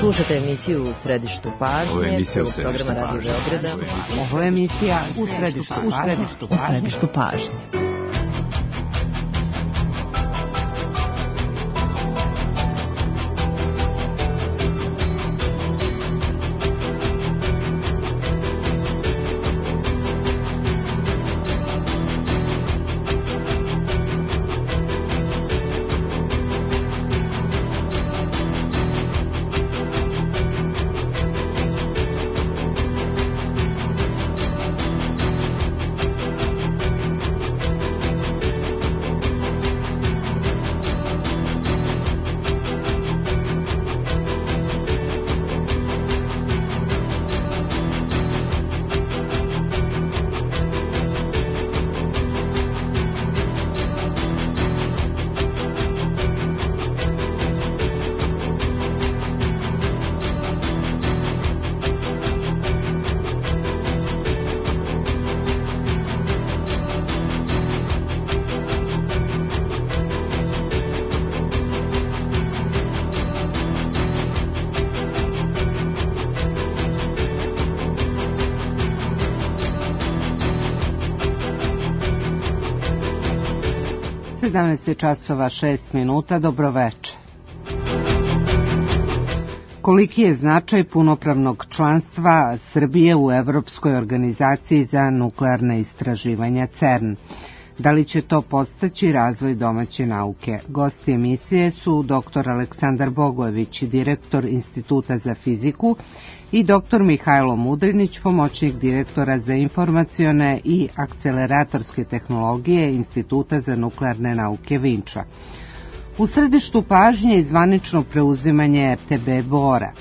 Slušate emisiju U središtu pažnje, programa Radio Beograda. Ovo je emisija U središtu pažnje. Časova 6 minuta, dobroveče. Koliki je značaj punopravnog članstva Srbije u Evropskoj organizaciji za nuklearne istraživanja CERN? Da li će to podstaći razvoj domaće nauke? Gosti emisije su dr. Aleksandar Bogojević, direktor Instituta za fiziku, i dr. Mihajlo Mudrinić, pomoćnik direktora za informacione i akceleratorske tehnologije Instituta za nuklearne nauke Vinča. U središtu pažnje je zvanično preuzimanje RTB Bora.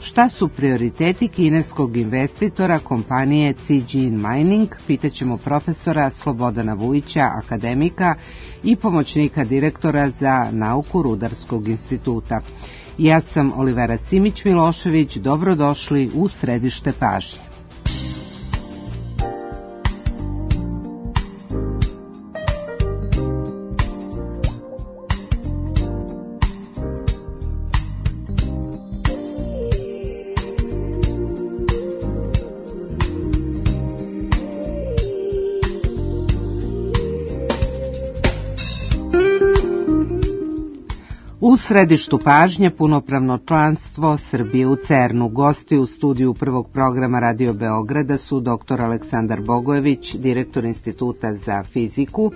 Šta su prioriteti kineskog investitora kompanije Zijin Mining, pitaćemo profesora Slobodana Vujića, akademika i pomoćnika direktora za nauku Rudarskog instituta. Ja sam Olivera Simić-Milošević, dobrodošli u središte pažnje. U središtu pažnje punopravno članstvo Srbije u CERN-u. Gosti u studiju prvog programa Radio Beograda su dr. Aleksandar Bogojević, direktor Instituta za fiziku,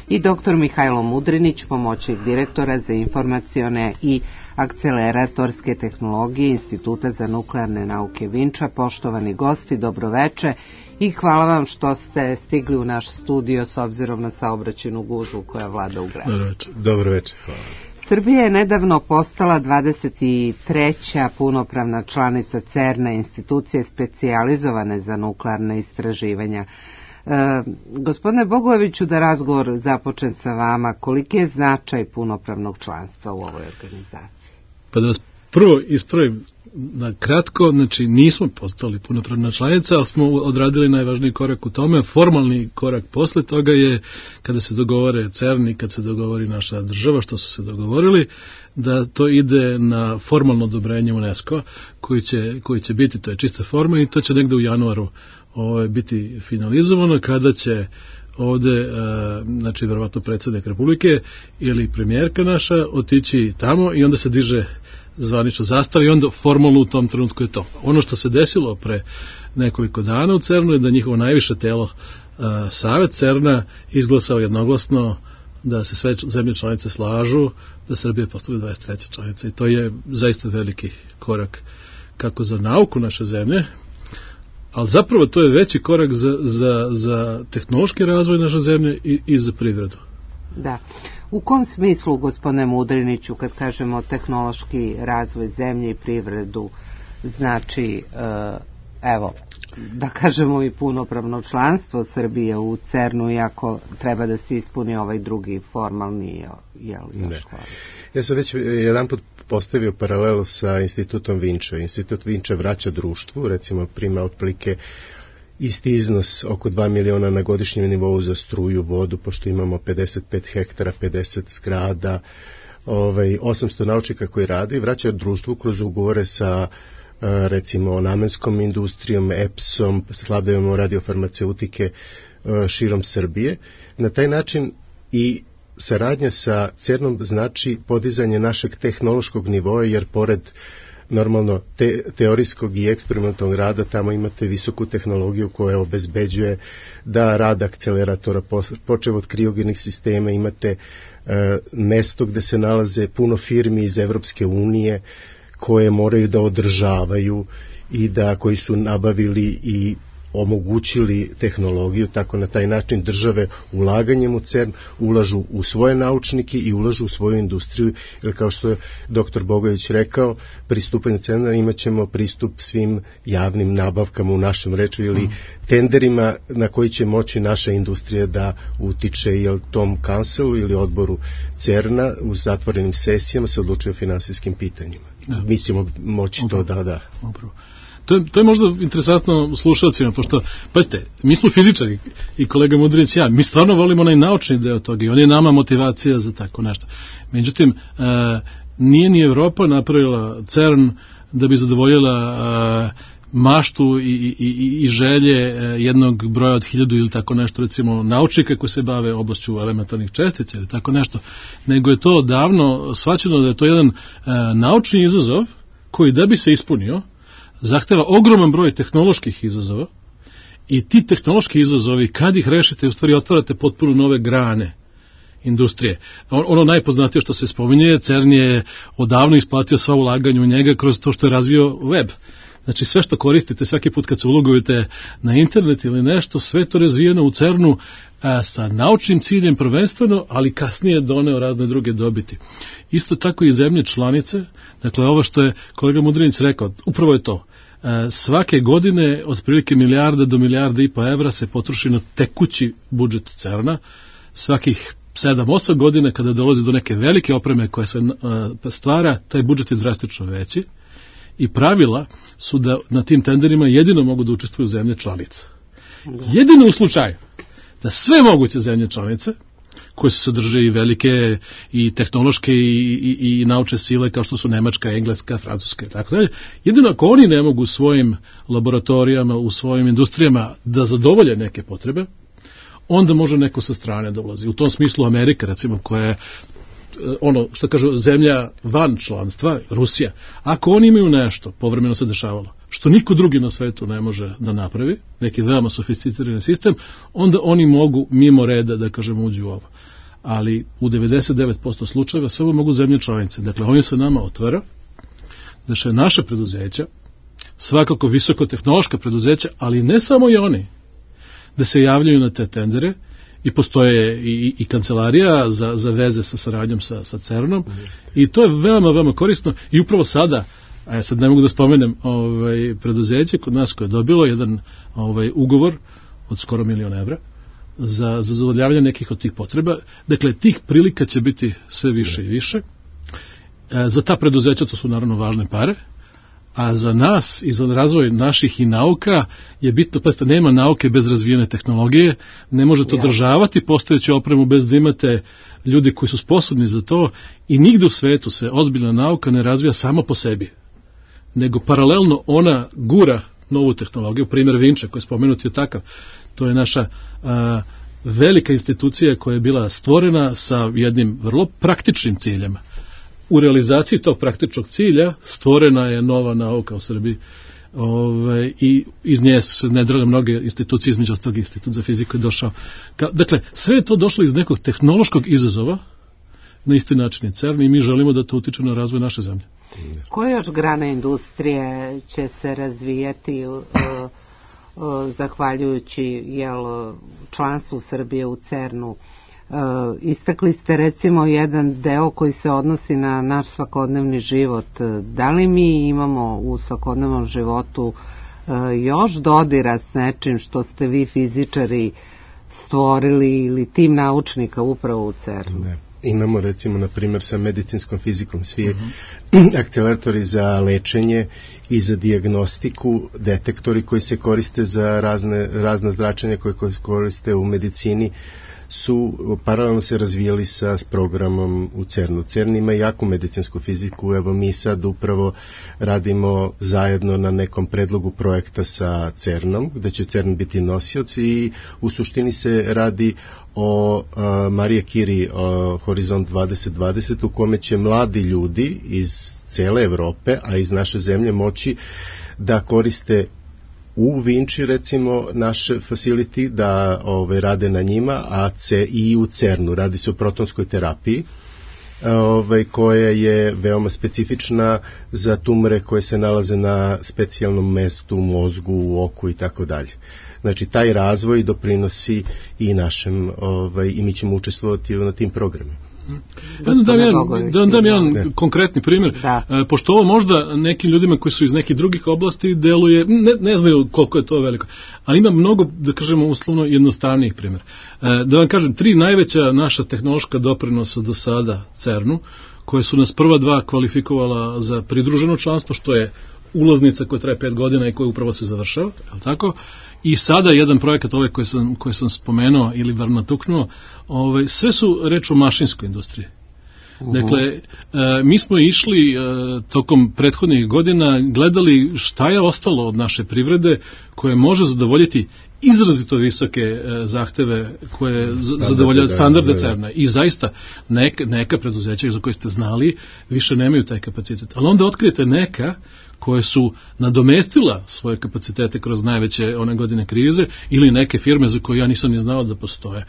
i dr. Mihajlo Mudrinić, pomoćnik direktora za informacione i akceleratorske tehnologije Instituta za nuklearne nauke Vinča. Poštovani gosti, dobroveče i hvala vam što ste stigli u naš studio s obzirom na saobraćajnu gužvu koja vlada u gradu. Dobroveče, hvala. Srbija je nedavno postala 23. punopravna članica CERN-a, institucije specijalizovane za nuklearne istraživanja. Gospodine Bogojeviću, da razgovor započnem sa vama, koliki je značaj punopravnog članstva u ovoj organizaciji? Pa da vas prvo ispravim na kratko, znači nismo postali punopravna članica, ali smo odradili najvažniji korak u tome. Formalni korak posle toga je kada se dogovore CERN i kad se dogovori naša država, što su se dogovorili, da to ide na formalno odobrenje UNESCO koji će biti, to je čista forma i to će negde u januaru biti finalizovano, kada će ovde, znači verovatno predsjednik Republike ili premijerka naša otići tamo i onda se diže zvanično zastava i onda formalno u tom trenutku je to. Ono što se desilo pre nekoliko dana u CERN-u je da njihovo najviše telo, Savet CERN-a, izglasao jednoglasno da se sve zemlje članice slažu da Srbija postane 23. članica i to je zaista veliki korak kako za nauku naše zemlje, ali zapravo to je veći korak za tehnološki razvoj naše zemlje i za privredu. Da. U kom smislu, gospodine Mudriniću, kad kažemo tehnološki razvoj zemlje i privredu, znači, evo, da kažemo i punopravno članstvo Srbije u CERN-u, iako treba da se ispuni ovaj drugi formalni, još hvala. Ja sam već jedanput postavio paralelu sa institutom Vinča. Institut Vinča vraća društvu, recimo prima otprilike isti iznos, oko 2 miliona na godišnjem nivou za struju, vodu, pošto imamo 55 hektara, 50 zgrada, 800 naučnika koji rade i vraćaju društvu kroz ugovore sa recimo namenskom industrijom, EPS-om, sladovima radiofarmaceutike širom Srbije. Na taj način i saradnja sa CERN-om znači podizanje našeg tehnološkog nivoa, jer pored normalno teorijskog i eksperimentalnog rada tamo imate visoku tehnologiju koja obezbeđuje da rad akceleratora, počev od kriogenih sistema, imate mesto gde se nalaze puno firmi iz Evropske unije koje moraju da održavaju i koji su nabavili i omogućili tehnologiju, tako na taj način države ulaganjem u CERN ulažu u svoje naučnike i ulažu u svoju industriju, jer kao što je dr. Bogović rekao, pristupanje CERN-a imat ćemo pristup svim javnim nabavkama u našem reču ili tenderima na koji će moći naša industrija da utiče, ili tom kancelu ili odboru CERN-a u zatvorenim sesijama se odlučuje o finansijskim pitanjima. Mi ćemo moći to da. To je možda interesantno slušalcima, pošto, pazite, mi smo fizičari i kolega Mudrinić i ja, mi stvarno volimo onaj naučni deo toga i on je nama motivacija za tako nešto. Međutim, nije ni Evropa napravila CERN da bi zadovoljila maštu i želje jednog broja od 1000 ili tako nešto, recimo naučnika koji se bave oblašću elementarnih čestica ili tako nešto, nego je to davno shvaćeno da je to jedan naučni izazov koji da bi se ispunio zahteva ogroman broj tehnoloških izazova i ti tehnološki izazovi, kad ih rešite, u stvari otvarate potpuno nove grane industrije. Ono najpoznatije što se spominje, CERN je odavno isplatio sva ulaganja u njega kroz to što je razvio web. Znači sve što koristite svaki put kad se ulogujete na internet ili nešto, sve to razvijeno u CERN-u sa naučnim ciljem prvenstveno, ali kasnije doneo razne druge dobiti. Isto tako i zemlje članice, dakle ovo što je kolega Mudrinić rekao, upravo je to. Svake godine otprilike 1 milijarda do 1,5 milijarde evra se potroši na tekući budžet CERN-a. Svakih 7-8 godina kada dolazi do neke velike opreme koja se stvara, taj budžet je drastično veći i pravila su da na tim tenderima jedino mogu da učestvuju zemlje članice. Jedino u slučaju da sve moguće zemlje članice, koje se sadrže i velike i tehnološke i naučne sile kao što su Nemačka, Engleska, Francuska i tako dalje, jedino ako oni ne mogu u svojim laboratorijama, u svojim industrijama da zadovolje neke potrebe, onda može neko sa strane da ulazi. U tom smislu Amerika, recimo, koja je ono što kažu zemlja van članstva, Rusija, ako oni imaju nešto, povremeno se dešavalo, što niko drugi na svetu ne može da napravi, neki veoma sofisticirani sistem, onda oni mogu mimo reda, da kažemo, uđu u ovo. Ali u 99% slučajeva samo mogu zemlje članice. Dakle, oni se nama otvara, da še naše preduzeća, svakako visokotehnološka preduzeća, ali ne samo i oni, da se javljaju na te tendere, i postoje i kancelarija za veze sa saradnjom sa CERN-om i to je veoma, veoma korisno i upravo sada, sad ne mogu da spomenem preduzeće kod nas koje je dobilo jedan ugovor od skoro 1 milion evra za zadovoljavanje nekih od tih potreba. Dakle, tih prilika će biti sve više i više. Za ta preduzeća to su naravno važne pare, a za nas i za razvoj naših i nauka je bitno, pa nema nauke bez razvijene tehnologije, ne možete održavati postojeću opremu bez da imate ljudi koji su sposobni za to i nigde u svetu se ozbiljna nauka ne razvija samo po sebi, nego paralelno ona gura novu tehnologiju, primjer Vinče koji je spomenuti je takav, to je naša velika institucija koja je bila stvorena sa jednim vrlo praktičnim ciljem. U realizaciji tog praktičnog cilja stvorena je nova nauka u Srbiji i iz nje se nedrale mnoge institucije, između ostalog Institut za fiziku je došao. Dakle, sve je to došlo iz nekog tehnološkog izazova, na isti način je CERN i mi želimo da to utiče na razvoj naše zemlje. Koje još grane industrije će se razvijati zahvaljujući članstvu Srbije u CERN-u? Istakli ste recimo jedan deo koji se odnosi na naš svakodnevni život. Da li mi imamo u svakodnevnom životu još dodira s nečim što ste vi fizičari stvorili ili tim naučnika upravo u CERN-u? Ne. Imamo recimo na primjer sa medicinskom fizikom svi akceleratori za lečenje i za dijagnostiku, detektori koji se koriste za razne zračenja koje koriste u medicini su paralelno se razvijali sa programom u CERN-u. CERN ima jaku medicinsku fiziku, evo mi sad upravo radimo zajedno na nekom predlogu projekta sa CERN-om, gde će CERN biti nosioc i u suštini se radi o Marije Curie Horizont 2020 u kome će mladi ljudi iz cele Evrope, a iz naše zemlje moći da koriste u Vinči recimo naše facility, da rade na njima, a i u CERN-u radi se o protonskoj terapiji, koja je veoma specifična za tumore koje se nalaze na specijalnom mestu u mozgu, u oku i tako dalje. Znači, taj razvoj doprinosi i našem, i mi ćemo učestvovati na tim programima. Da dam jedan konkretni primjer, pošto ovo možda nekim ljudima koji su iz nekih drugih oblasti deluje, ne znaju koliko je to veliko, ali ima mnogo, da kažemo uslovno, jednostavnijih primjera. Da vam kažem, 3 najveća naša tehnološka doprinosa do sada CERN-u, koje su nas prva 2 kvalifikovala za pridruženo članstvo, što je ulaznica koja traje 5 godina i koja upravo se završava, je li tako? I sada jedan projekat ovaj koji sam spomenuo ili bar natuknuo, sve su reč o mašinskoj industriji. Dakle, mi smo išli tokom prethodnih godina, gledali šta je ostalo od naše privrede koje može zadovoljiti izrazito visoke zahteve koje zadovoljavaju standarde CERN-a. I zaista neka preduzeća za koje ste znali više nemaju taj kapacitet. Ali onda otkrijete neka koje su nadomestila svoje kapacitete kroz najveće one godine krize ili neke firme za koje ja nisam ni znao da postoje.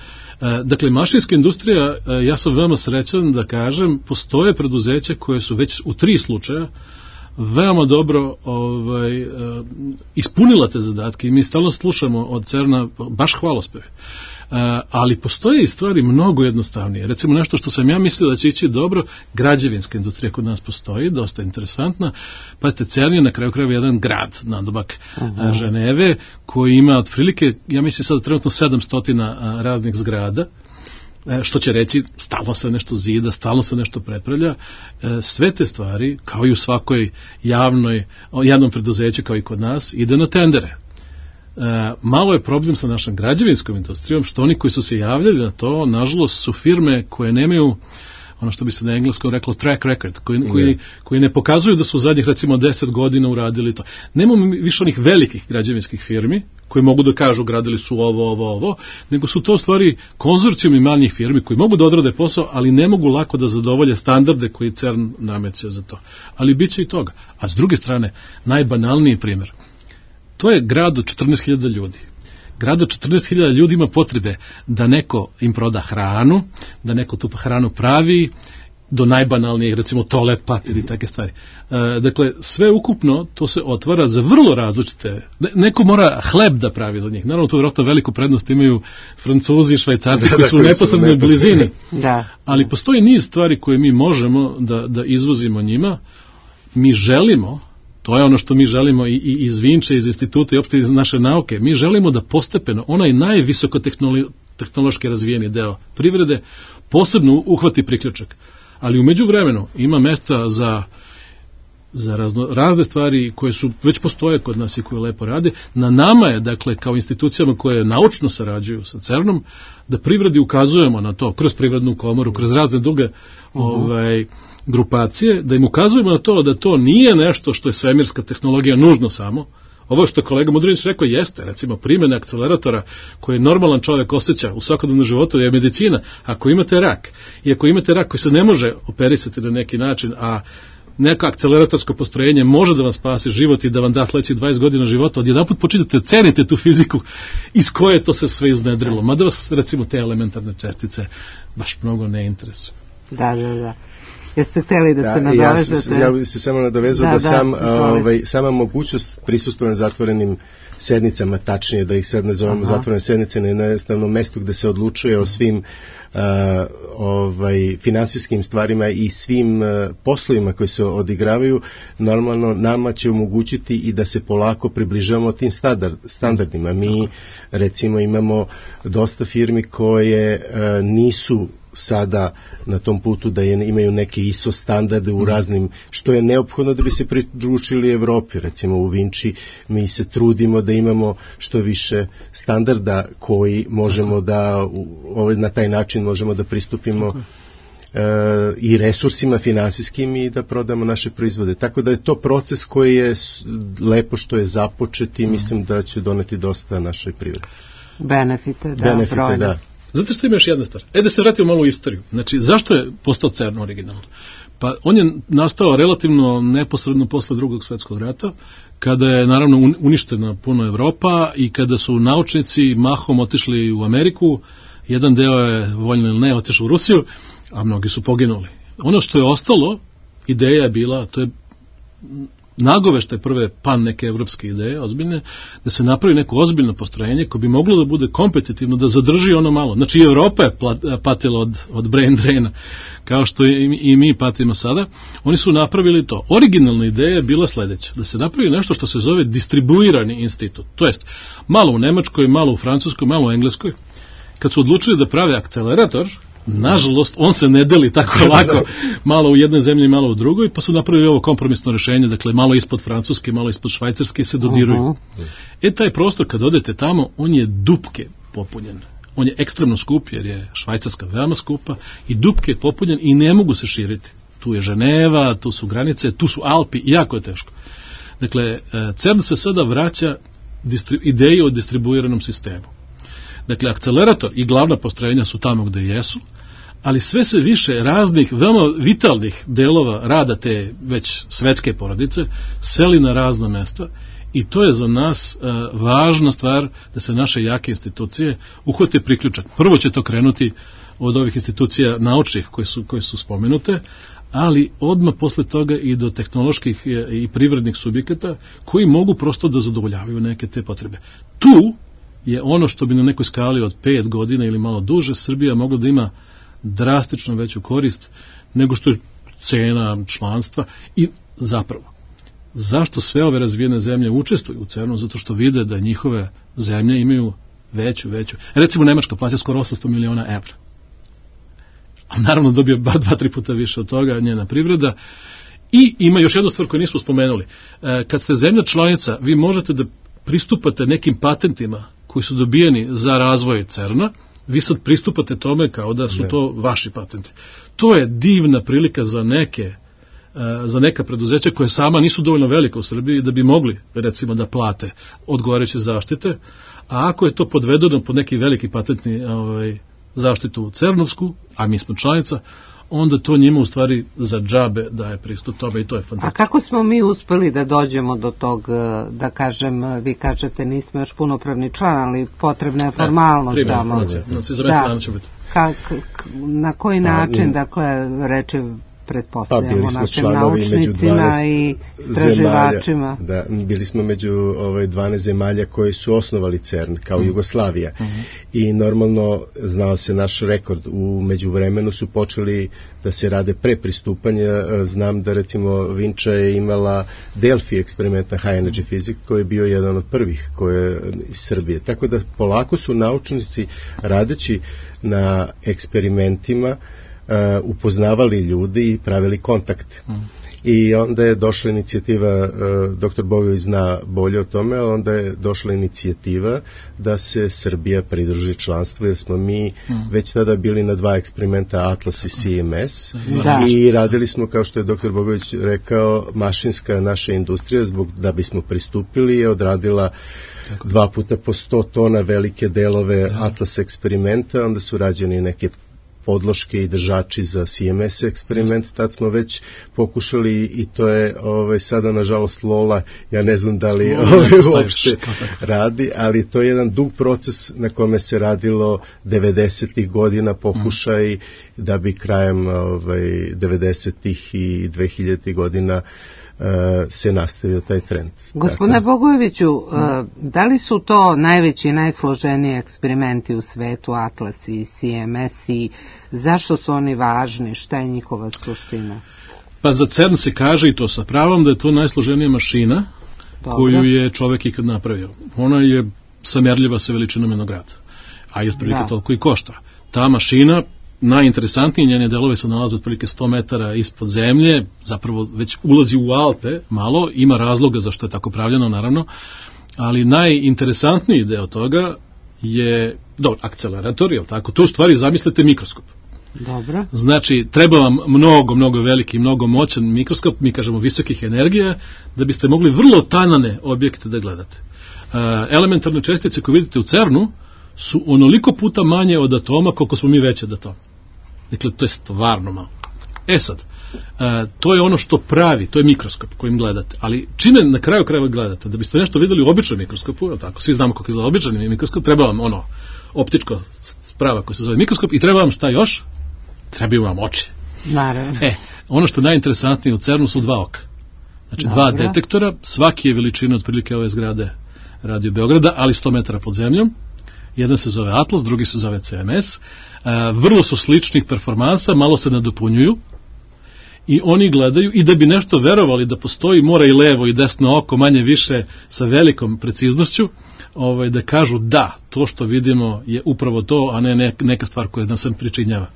Dakle, mašinska industrija, ja sam veoma srećan da kažem, postoje preduzeća koje su već u 3 slučaja veoma dobro ispunila te zadatke i mi stalno slušamo od CERN-a baš hvalospeve. Ali postoje i stvari mnogo jednostavnije. Recimo nešto što sam ja mislio da će ići dobro, građevinska industrija kod nas postoji, dosta interesantna. Pazite, CERN je na kraju krajeva jedan grad nadomak Ženeve koji ima otprilike, ja mislim sada trenutno 700 raznih zgrada, što će reći stalno se nešto zida, stalno se nešto prepravlja. Sve te stvari, kao i u svakoj javnom preduzeću kao i kod nas, ide na tendere. Malo je problem sa našom građevinskom industrijom, što oni koji su se javljali na to, nažalost su firme koje nemaju ono što bi se na engleskom reklo track record, koji ne pokazuju da su u zadnjih recimo 10 godina uradili to. Nemamo više onih velikih građevinskih firmi koji mogu da kažu gradili su ovo, nego su to stvari konzorcijumi manjih firmi koji mogu da odrade posao, ali ne mogu lako da zadovolje standarde koji CERN nameće za to. Ali bit će i toga. A s druge strane, najbanalniji primjer, to je grad od 14.000 ljudi. Grad od 14.000 ljudi ima potrebe da neko im proda hranu, da neko tu hranu pravi, do najbanalnijeg, recimo toalet papir i takve stvari. Dakle, sve ukupno to se otvara za vrlo različite. Neko mora hleb da pravi za njih. Naravno, to vjerojatno veliku prednost imaju Francuzi i Švajcarci koji su u neposrednoj blizini. Ali postoji niz stvari koje mi možemo da izvozimo njima. Mi želimo, to je ono što mi želimo i iz Vinče, iz instituta i opšte iz naše nauke, mi želimo da postepeno onaj najvisokotehnološki razvijeni deo privrede posebno uhvati priključak. Ali u međuvremenu ima mesta za razne stvari koje su već postoje kod nas i koje lepo rade. Na nama je, dakle, kao institucijama koje naučno sarađuju sa CERN-om, da privredi ukazujemo na to, kroz privrednu komoru, kroz razne druge grupacije, da im ukazujemo na to da to nije nešto što je svemirska tehnologija nužno samo. Ovo što je kolega Mudrinić rekao jeste, recimo, primjena akceleratora koje normalan čovjek osjeća u svakodnevnom životu je medicina. Ako imate rak, i ako imate rak koji se ne može operisati na neki način, a neko akceleratorsko postrojenje može da vam spasi život i da vam da sledeći 20 godina života, odjedanput počinite cenite tu fiziku iz koje to se sve iznedrilo. Mada vas, recimo, te elementarne čestice baš mnogo ne interesuju. Da. Jeste hteli da se nadovežete? Ja bih se samo nadovezao da sama mogućnost prisustva na zatvorenim sednicama, tačnije da ih sad nazovemo zatvorene sednice, na jednostavnom mestu gde se odlučuje o svim finansijskim stvarima i svim poslovima koji se odigravaju, normalno nama će omogućiti i da se polako približavamo tim standardima. Mi recimo imamo dosta firmi koje nisu sada na tom putu da imaju neke ISO standarde u raznim, što je neophodno da bi se pridružili Evropi. Recimo u Vinči mi se trudimo da imamo što više standarda koji možemo da na taj način možemo da pristupimo i resursima finansijskim i da prodamo naše proizvode. Tako da je to proces koji je lepo što je započet i mislim da će doneti dosta našoj privredi. Benefite, da. Zato što ima još jedna stvar. Da se vratimo malo u istoriju. Znači, zašto je postao CERN originalno? Pa on je nastao relativno neposredno posle Drugog svjetskog rata, kada je naravno uništena puno Evropa i kada su naučnici mahom otišli u Ameriku, jedan deo je, voljno ili ne, otišao u Rusiju, a mnogi su poginuli. Ono što je ostalo, ideja je bila, to je nagoveštaj prve pan neke evropske ideje, ozbiljne, da se napravi neko ozbiljno postrojenje koje bi moglo da bude kompetitivno, da zadrži ono malo. Znači, Evropa je patila od brain draina, kao što i mi patimo sada. Oni su napravili to. Originalna ideja je bila sledeća, da se napravi nešto što se zove distribuirani institut. To jest, malo u Nemačkoj, malo u Francuskoj, malo u Engleskoj. Kad su odlučili da prave akcelerator, nažalost, on se ne deli tako lako, malo u jednoj zemlji, malo u drugoj, pa su napravili ovo kompromisno rešenje, dakle, malo ispod Francuske, malo ispod Švajcarske se dodiruju. Taj prostor, kad odete tamo, on je dupke popunjen. On je ekstremno skup, jer je Švajcarska veoma skupa, i dupke je popunjen i ne mogu se širiti. Tu je Ženeva, tu su granice, tu su Alpi, jako je teško. Dakle, CERN se sada vraća ideji o distribuiranom sistemu. Dakle, akcelerator i glavna postrojenja su tamo gde jesu, ali sve se više raznih, veoma vitalnih delova rada te već svetske porodice seli na razna mesta i to je za nas važna stvar da se naše jake institucije uhvate priključak. Prvo će to krenuti od ovih institucija naučnih koje su spomenute, ali odmah posle toga i do tehnoloških i privrednih subjekata koji mogu prosto da zadovoljavaju neke te potrebe. Tu je ono što bi na nekoj skali od 5 godina ili malo duže Srbija mogla da ima drastično veću korist nego što je cena članstva i zapravo. Zašto sve ove razvijene zemlje učestvuju u CERN-u? Zato što vide da njihove zemlje imaju veću. Recimo Nemačka plaća skoro 800 miliona evra. A naravno dobije bar 2-3 puta više od toga njena privreda. I ima još jednu stvar koju nismo spomenuli. Kad ste zemlja članica, vi možete da pristupate nekim patentima koji su dobijeni za razvoj CERN-a, vi sad pristupate tome kao da su to vaši patenti. To je divna prilika za neka preduzeća koje sama nisu dovoljno velika u Srbiji da bi mogli, recimo, da plate odgovarajuće zaštite, a ako je to podvedeno pod neki veliki patentni zaštitu CERN-ovsku, a mi smo članica, onda to njima u stvari za džabe daje pristup tome i to je fantastično. A kako smo mi uspeli da dođemo do tog, da kažem, vi kažete nismo još punopravni član, ali potrebna je formalnost samo. Na koji način, dakle, reče pretpostavljamo našim naučnicima i istraživačima. Da, bili smo među 12 zemalja koji su osnovali CERN kao Jugoslavija i normalno znao se naš rekord. U međuvremenu su počeli da se rade pre pristupanja. Znam da recimo Vinča je imala Delphi eksperiment na High Energy Physics koji je bio jedan od prvih koje iz Srbije. Tako da polako su naučnici radeći na eksperimentima upoznavali ljudi i pravili kontakte. I onda je došla inicijativa, dr. Bogović zna bolje o tome, ali onda je došla inicijativa da se Srbija pridruži članstvu, jer smo mi već tada bili na 2 eksperimenta Atlas i CMS i radili smo, kao što je dr. Bogović rekao, mašinska naša industrija, da bismo pristupili, je odradila 2 puta po 100 tona velike delove Atlas eksperimenta, onda su rađeni neke podloške i držači za CMS eksperiment, tad smo već pokušali i to je sada nažalost Lola, ja ne znam da li uopšte radi, ali to je jedan dug proces na kome se radilo 90-ih godina pokušaj da bi krajem 90-ih i 2000-ih godina se nastavio taj trend. Gospodine Bogojeviću, da li su to najveći i najsloženiji eksperimenti u svetu, Atlas i CMS, i zašto su oni važni, šta je njihova suština? Pa za CERN se kaže, i to sa pravom, da je to najsloženija mašina koju je čovek ikad napravio. Ona je samerljiva sa veličinom jednog grada, a i otprilike toliko i košta. Ta mašina najinteresantniji, njene delove se nalaze otprilike 100 metara ispod zemlje, zapravo već ulazi u Alpe malo, ima razloga zašto je tako pravljeno naravno, ali najinteresantniji deo toga je, dobro, akcelerator, je li tako? To u stvari zamislite mikroskop. Dobro. Znači, treba vam mnogo veliki, mnogo moćan mikroskop, mi kažemo visokih energija, da biste mogli vrlo tanane objekte da gledate. Elementarne čestice koje vidite u CERN-u su onoliko puta manje od atoma koliko smo mi veći od atoma. Dakle, to je stvarno malo. Sad, to je ono što pravi, to je mikroskop kojim gledate, ali čime na kraju krajeva gledate? Da biste nešto videli u običnom mikroskopu, je tako? Svi znamo kako izgleda običan mikroskop, treba vam optičko sprava koja se zove mikroskop i treba vam šta još? Trebaju vam oči. Naravno. Ono što je najinteresantnije u CERN-u su 2 oka. Znači, 2 detektora, svaki je veličina otprilike ove zgrade Radio Beograda, ali 100 metara pod zemljom. Jedan se zove Atlas, drugi se zove CMS. Vrlo su sličnih performansa, malo se nadopunjuju i oni gledaju, i da bi nešto verovali da postoji, mora i levo i desno oko, manje više sa velikom preciznošću, da kažu da, to što vidimo je upravo to, a ne neka stvar koja nam se pričinjava.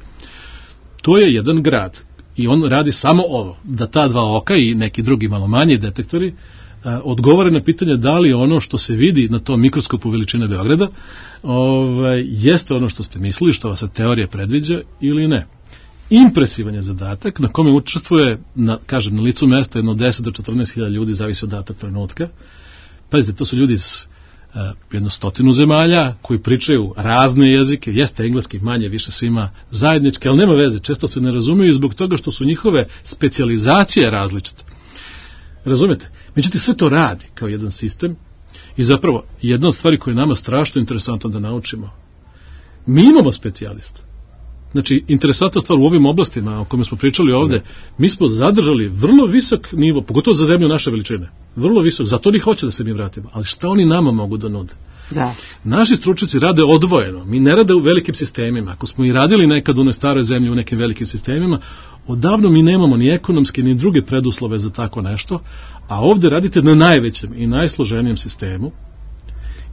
To je jedan grad i on radi samo ovo, da ta 2 oka i neki drugi malo manji detektori odgovore na pitanje da li ono što se vidi na tom mikroskopu veličine Beograda jeste ono što ste mislili, što vas teorija predviđa ili ne. Impresivan je zadatak na kome učestvuje, na licu mesta jedno 10 do 14.000 ljudi, zavisi od data trenutka. Pazite, to su ljudi iz 100 zemalja koji pričaju razne jezike, jeste engleski manje više svima zajednički, ali nema veze, često se ne razumiju zbog toga što su njihove specijalizacije različite. Razumete? Međutim, sve to radi kao jedan sistem i zapravo jedna od stvari koja je nama strašno interesantno da naučimo. Mi imamo specijalista. Znači, interesantna stvar u ovim oblastima o kojima smo pričali ovde, mi smo zadržali vrlo visok nivo, pogotovo za zemlju naše veličine. Vrlo visok, zato oni hoće da se mi vratimo. Ali šta oni nama mogu da nude? Da. Naši stručnjaci rade odvojeno. Mi ne rade u velikim sistemima. Ako smo i radili nekad u onoj staroj zemlji u nekim velikim sistemima, odavno mi nemamo ni ekonomske ni druge preduslove za tako nešto, a ovde radite na najvećem i najsloženijem sistemu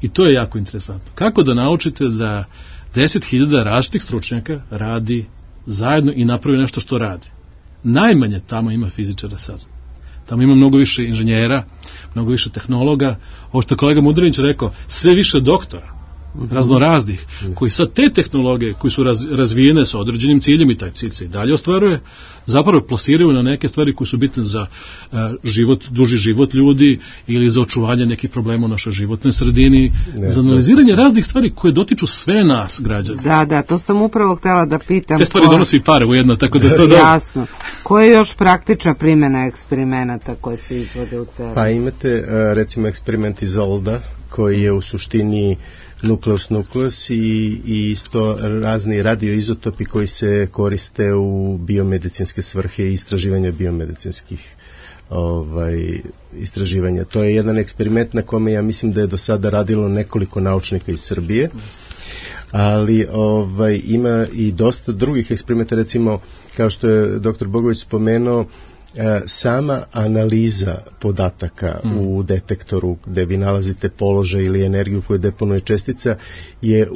i to je jako interesantno. Kako da naučite da 10.000 različitih stručnjaka radi zajedno i napravi nešto što radi? Najmanje tamo ima fizičara sad. Tamo ima mnogo više inženjera, mnogo više tehnologa, ovo što je kolega Mudrinić rekao, sve više doktora, raznoraznih, koji sad te tehnologije koji su razvijene sa određenim ciljem i taj cilj se i dalje ostvaruje, zapravo plasiraju na neke stvari koje su bitne za duži život ljudi ili za očuvanje nekih problema u našoj životnoj sredini, za analiziranje raznih stvari koje dotiču sve nas, građana. Da, to sam upravo htjela da pitam. Te stvari donosi pare ujedno, tako da to jasno. Koja je još praktična primjena eksperimenata koje se izvode u CERN-u? Pa imate recimo eksperiment iz Olda koji je u suštini nukleus i isto razni radioizotopi koji se koriste u biomedicinske svrhe i istraživanja biomedicinskih istraživanja. To je jedan eksperiment na kome ja mislim da je do sada radilo nekoliko naučnika iz Srbije, ali ima i dosta drugih eksperimenta, recimo kao što je dr. Bogović spomenuo, sama analiza podataka u detektoru gde vi nalazite položaj ili energiju koju deponuje čestica je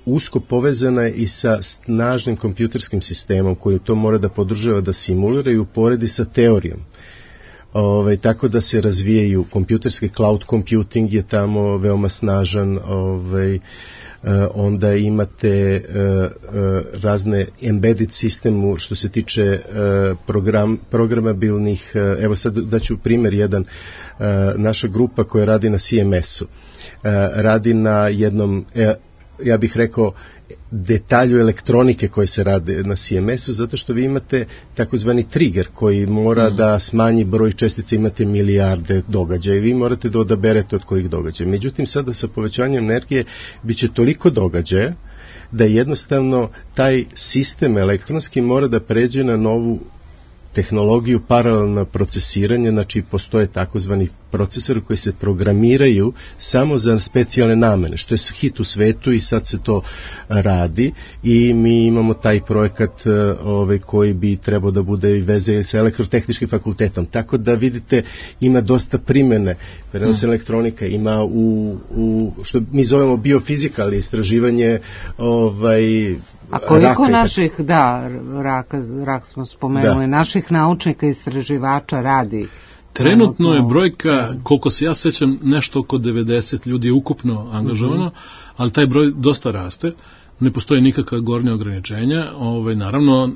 usko povezana i sa snažnim kompjuterskim sistemom koji to mora da podržava, da simulira i uporedi sa teorijom. Tako da se razvijaju kompjuterski cloud computing je tamo veoma snažan, onda imate razne embedded sistemu što se tiče programabilnih, evo sad daću primjer jedan, naša grupa koja radi na CMS-u, radi na jednom, ja bih rekao, detalju elektronike koje se rade na CMS-u, zato što vi imate takozvani trigger koji mora da smanji broj čestica, imate milijarde događaja i vi morate da odaberete od kojih događaja. Međutim, sada sa povećanjem energije biće toliko događaja da jednostavno taj sistem elektronski mora da pređe na novu tehnologiju paralelno procesiranje, znači postoje takozvani procesori koji se programiraju samo za specijalne namene, što je hit u svetu i sad se to radi i mi imamo taj projekat koji bi trebao da bude i veze sa elektrotehničkim fakultetom. Tako da vidite, ima dosta primene. Prenos elektronika ima u što mi zovemo biofizika, ali istraživanje a koliko naših, rak smo spomenuli, naših naučnika i istraživača radi? Trenutno je brojka, koliko se ja sećam, nešto oko 90 ljudi je ukupno angažovano, ali taj broj dosta raste. Ne postoje nikakva gornja ograničenja. Naravno,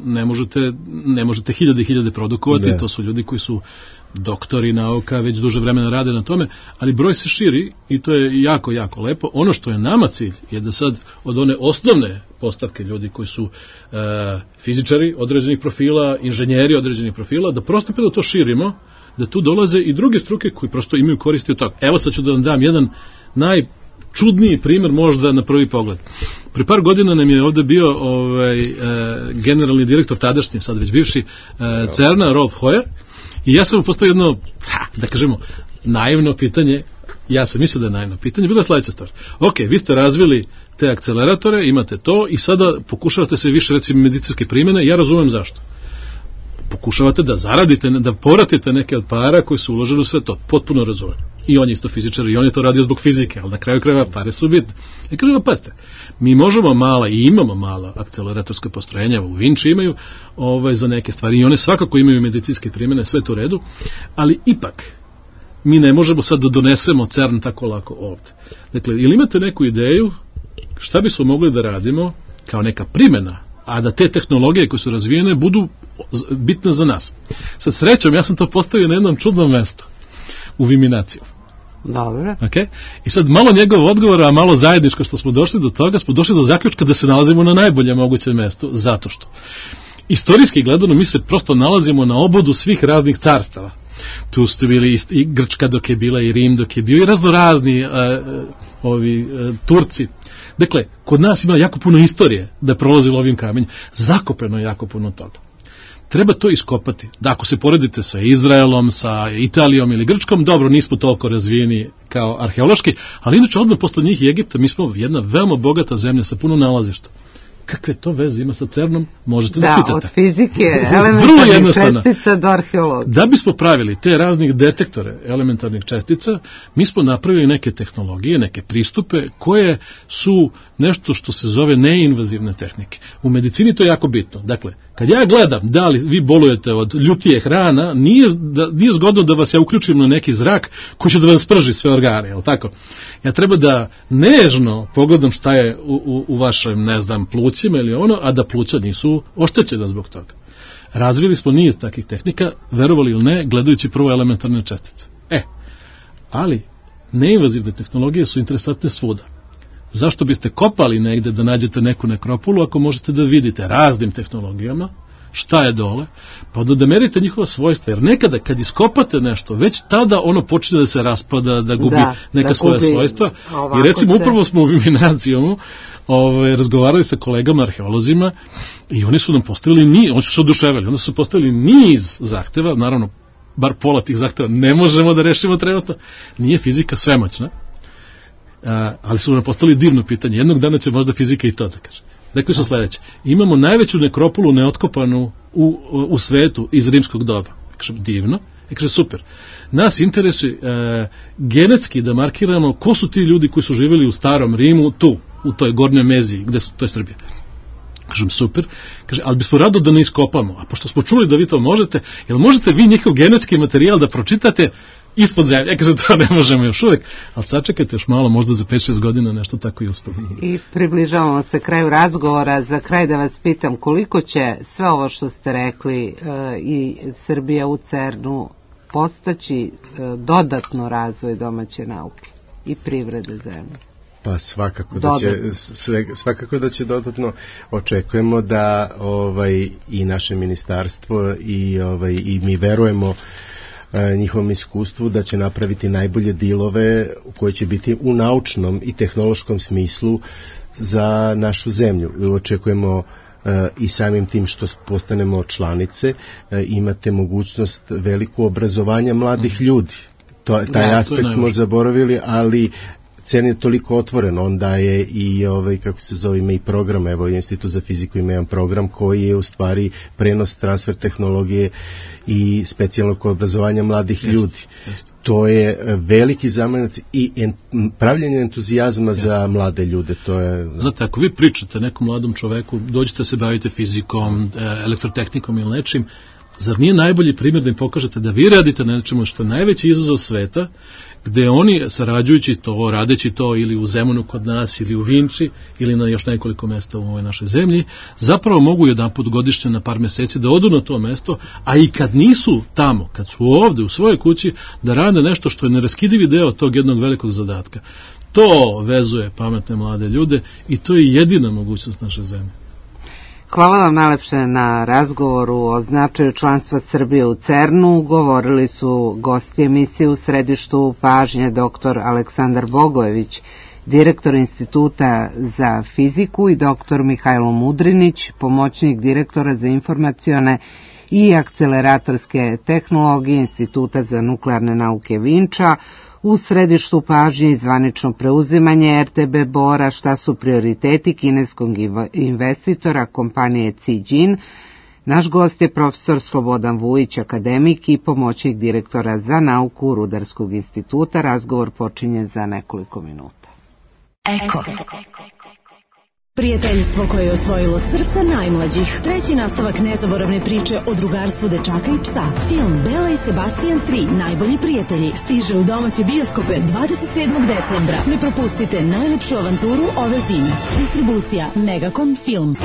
ne možete hiljade produkovati, to su ljudi koji su doktori nauka, već duže vremena rade na tome, ali broj se širi i to je jako, jako lepo. Ono što je nama cilj je da sad od one osnovne postavke ljudi koji su fizičari određenih profila, inženjeri određenih profila, da prostopeno to širimo, da tu dolaze i druge struke koji prosto imaju koristi od toga. Evo sad ću da vam dam jedan najčudniji primer možda na prvi pogled. Pri par godina nam je ovde bio generalni direktor tadašnji, sad već bivši CERN-a, Rolf Hoyer, i ja sam mu postavio jedno, da kažemo, naivno pitanje. Ja sam mislio da je naivno pitanje. Bila je sledeća stvar. Ok, vi ste razvili te akceleratore, imate to i sada pokušavate se više, recimo, medicinske primjene. Ja razumem zašto. Pokušavate da zaradite, da povratite neke od para koji su uložili u sve to. Potpuno razumem. I on je isto fizičar i on je to radio zbog fizike, ali na kraju krajeva pare su bitne. I kažem, pazite, mi možemo mala i imamo mala akceleratorska postrojenja, u Vinči imaju za neke stvari i one svakako imaju medicinske primjene, sve to u redu, ali ipak mi ne možemo sad da donesemo CERN tako lako ovde. Dakle, ili imate neku ideju šta bismo mogli da radimo kao neka primjena, a da te tehnologije koje su razvijene budu bitne za nas. Sad srećom, ja sam to postavio na jednom čudnom mestu, u Viminaciju. Dobro. Okay? I sad malo njegov odgovor, a malo zajedničko što smo došli do toga, smo došli do zaključka da se nalazimo na najboljem mogućem mestu, zato što istorijski gledano mi se prosto nalazimo na obodu svih raznih carstava. Tu ste bili i Grčka dok je bila, i Rim dok je bio, i raznorazni Turci. Dakle, kod nas ima jako puno istorije da je prolazilo ovim kamenjem. Zakopeno je jako puno toga. Treba to iskopati. Da, ako se poredite sa Izraelom, sa Italijom ili Grčkom, dobro, nismo toliko razvijeni kao arheološki, ali inače odmah posle njih i Egipta, mi smo jedna veoma bogata zemlja sa puno nalazišta. Kakve to veze ima sa CERN-om, možete da pitate. Da, od fizike, elementarnih čestica do arheologije. Da bismo pravili te raznih detektore elementarnih čestica, mi smo napravili neke tehnologije, neke pristupe koje su nešto što se zove neinvazivne tehnike. U medicini to je jako bitno. Dakle, kad ja gledam da li vi bolujete od ljutije hrana, nije zgodno da vas ja uključim na neki zrak koji će da vam sprži sve organe, je li tako? Ja treba da nežno pogledam šta je u vašem, ne znam, plućima ili ono, a da pluća nisu oštećena zbog toga. Razvili smo niz takih tehnika, verovali ili ne, gledajući prvo elementarne čestice. Ali neinvazivne tehnologije su interesantne svuda. Zašto biste kopali negde da nađete neku nekropolu ako možete da vidite raznim tehnologijama šta je dole, pa da merite njihova svojstva, jer nekada kad iskopate nešto, već tada ono počne da se raspada, da gubi neka svoja svojstva. I recimo upravo smo u Viminacijumu razgovarali sa kolegama arheolozima i oni su nam postavili oni su se oduševili, onda su postavili niz zahteva, naravno bar pola tih zahteva ne možemo da rešimo trenutno, nije fizika svemoćna, ali su nam postavili divno pitanje, jednog dana će možda fizika i to da kaže. Rekli su sledeće, imamo najveću nekropolu neotkopanu u svetu iz rimskog doba. Kaže, divno, kaže, super. Nas interesuje genetski da markiramo ko su ti ljudi koji su živjeli u starom Rimu, tu, u toj gornjoj Meziji, to je Srbija. Kažem, super. Kaže, ali bismo rado da ne iskopamo, a pošto smo čuli da vi to možete, jel možete vi njihov genetski materijal da pročitate ispod zemlje? Kaže, to ne možemo još uvek, ali sačekajte još malo, možda za 5-6 godina nešto tako i uspemo. I približavamo se kraju razgovora. Za kraj da vas pitam, koliko će sve ovo što ste rekli i Srbija u CERN-u postaći dodatno razvoj domaće nauke i privrede zemlje? Pa svakako da će dodatno. Očekujemo da i naše ministarstvo i mi verujemo njihovom iskustvu da će napraviti najbolje dilove koji će biti u naučnom i tehnološkom smislu za našu zemlju. Očekujemo i samim tim što postanemo članice imate mogućnost veliko obrazovanja mladih ljudi. Taj aspekt smo zaboravili, ali CERN je toliko otvoren, onda je i kako se zove, ima i program, evo Institut za fiziku ima jedan program koji je u stvari prenos, transfer tehnologije i specijalnog obrazovanja mladih ljudi. To je veliki zamajac i pravljenje entuzijazma za mlade ljude. To je... Znate, ako vi pričate nekom mladom čoveku, dođete se bavite fizikom, elektrotehnikom ili nečim, zar nije najbolji primjer da im pokažete da vi radite na nečemu što je najveći izazov sveta, gde oni sarađujući to, radeći to ili u Zemunu kod nas, ili u Vinči, ili na još nekoliko mesta u ovoj našoj zemlji, zapravo mogu jedanput godišnje na par meseci da odu na to mesto, a i kad nisu tamo, kad su ovde u svojoj kući, da rade nešto što je neraskidivi deo tog jednog velikog zadatka. To vezuje pametne mlade ljude i to je jedina mogućnost naše zemlje. Hvala vam najlepše na razgovoru o značaju članstva Srbije u CERN-u. Govorili su gosti emisije u središtu pažnje dr. Aleksandar Bogojević, direktor Instituta za fiziku, i dr. Mihajlo Mudrinić, pomoćnik direktora za informacione i akceleratorske tehnologije Instituta za nuklearne nauke Vinča. U središtu pažnje i zvanično preuzimanje RTB Bora, šta su prioriteti kineskog investitora kompanije Zijin. Naš gost je profesor Slobodan Vujić, akademik i pomoćnik direktora za nauku Rudarskog instituta. Razgovor počinje za nekoliko minuta. Eko. Prijateljstvo koje je osvojilo srca najmlađih. Treći nastavak nezaboravne priče o drugarstvu dečaka i psa. Film Bela i Sebastian 3, najbolji prijatelji, stiže u domaće bioskope 27. decembra. Ne propustite najlepšu avanturu ove zime. Distribucija Megacom Film.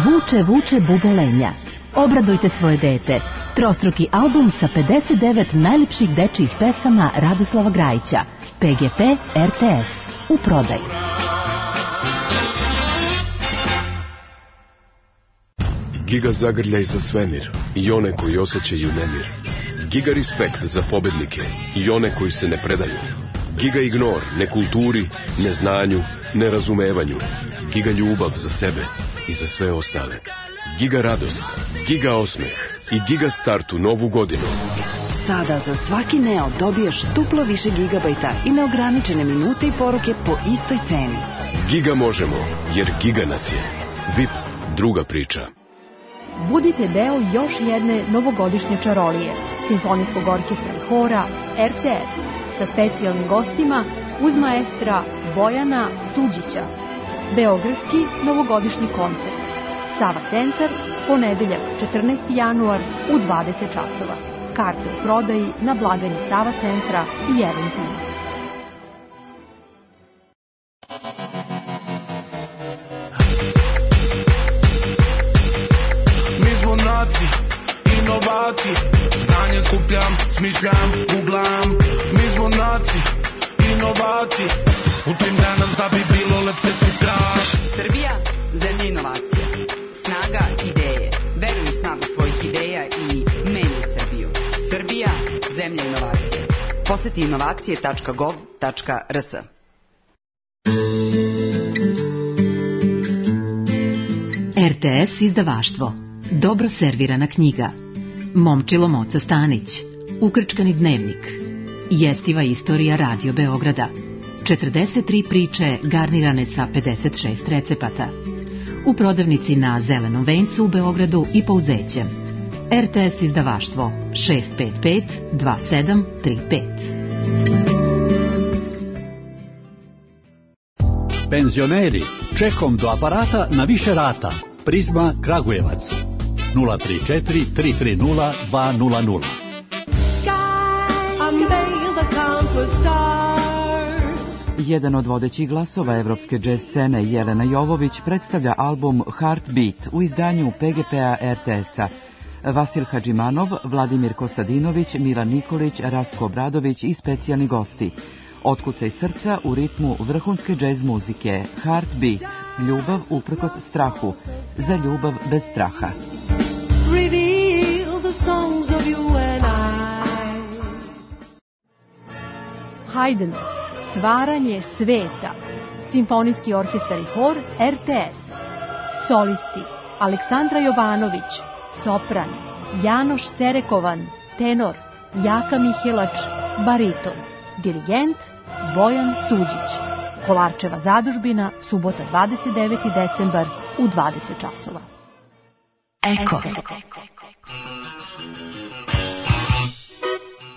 Vuče, vuče bubolenja. Obradujte svoje dete. Trostruki album sa 59 najlepših dečijih pesama Radoslava Grajića. PGP RTS. U prodaju. Giga zagrljaj za svemir i one koji osjećaju nemir. Giga respekt za pobednike i one koji se ne predaju. Giga ignor nekulturi, neznanju, nerazumevanju. Giga ljubav za sebe i za sve ostale. Giga radost, giga osmeh i giga start u novu godinu. Sada za svaki Neo dobiješ duplo više gigabajta i neograničene minute i poruke po istoj ceni. Giga možemo, jer giga nas je. VIP, druga priča. Budite deo još jedne novogodišnje čarolije, simfonijskog orkestra i hora RTS, sa specijalnim gostima uz maestra Bojana Suđića. Beogradski novogodišnji koncert. Sava centar, ponedeljak 14. januar u 20 časova. Karte u prodaji na blagajni Sava centra i Eventima. Mi smo naci, inovaci, znanje skupljam, smišljam, googlam. Mi smo naci, inovaci, učim danas da bi bilo lepše sutra. Srbija, zemlja inovacija. Snaga ideje. Veruj u snagu svojih ideja i menjaj Srbiju. Srbija, zemlja inovacije. Poseti inovacije.gov.rs. RTS izdavaštvo. Dobro servirana knjiga. Momčilo Moca Stanić. Ukrčkani dnevnik. Jestiva istorija Radio Beograda. 43 priče garnirane sa 56 recepata. U prodavnici na Zelenom vencu u Beogradu i Pouzećem. RTS izdavaštvo 655 2735. Penzioneri, čekom do aparata na više rata. Prizma Kragujevac 034 330 200. Jedan od vodećih glasova evropske džez scene, Jelena Jovović, predstavlja album Heartbeat u izdanju PGP-a RTS-a. Vasil Hadžimanov, Vladimir Kostadinović, Milan Nikolić, Rastko Obradović i specijalni gosti. Otkucaj srca u ritmu vrhunske džez muzike. Heartbeat, ljubav uprkos strahu, za ljubav bez straha. Reveal the songs of you and I. Haydn, stvaranje sveta. Simfonijski orkestar i hor RTS. Solisti: Aleksandra Jovanović, sopran; Janoš Serekovan, tenor; Jaka Mihelač, bariton; dirigent Bojan Suđić. Kolarčeva zadužbina, subota 29. decembar u 20 časova. Eko.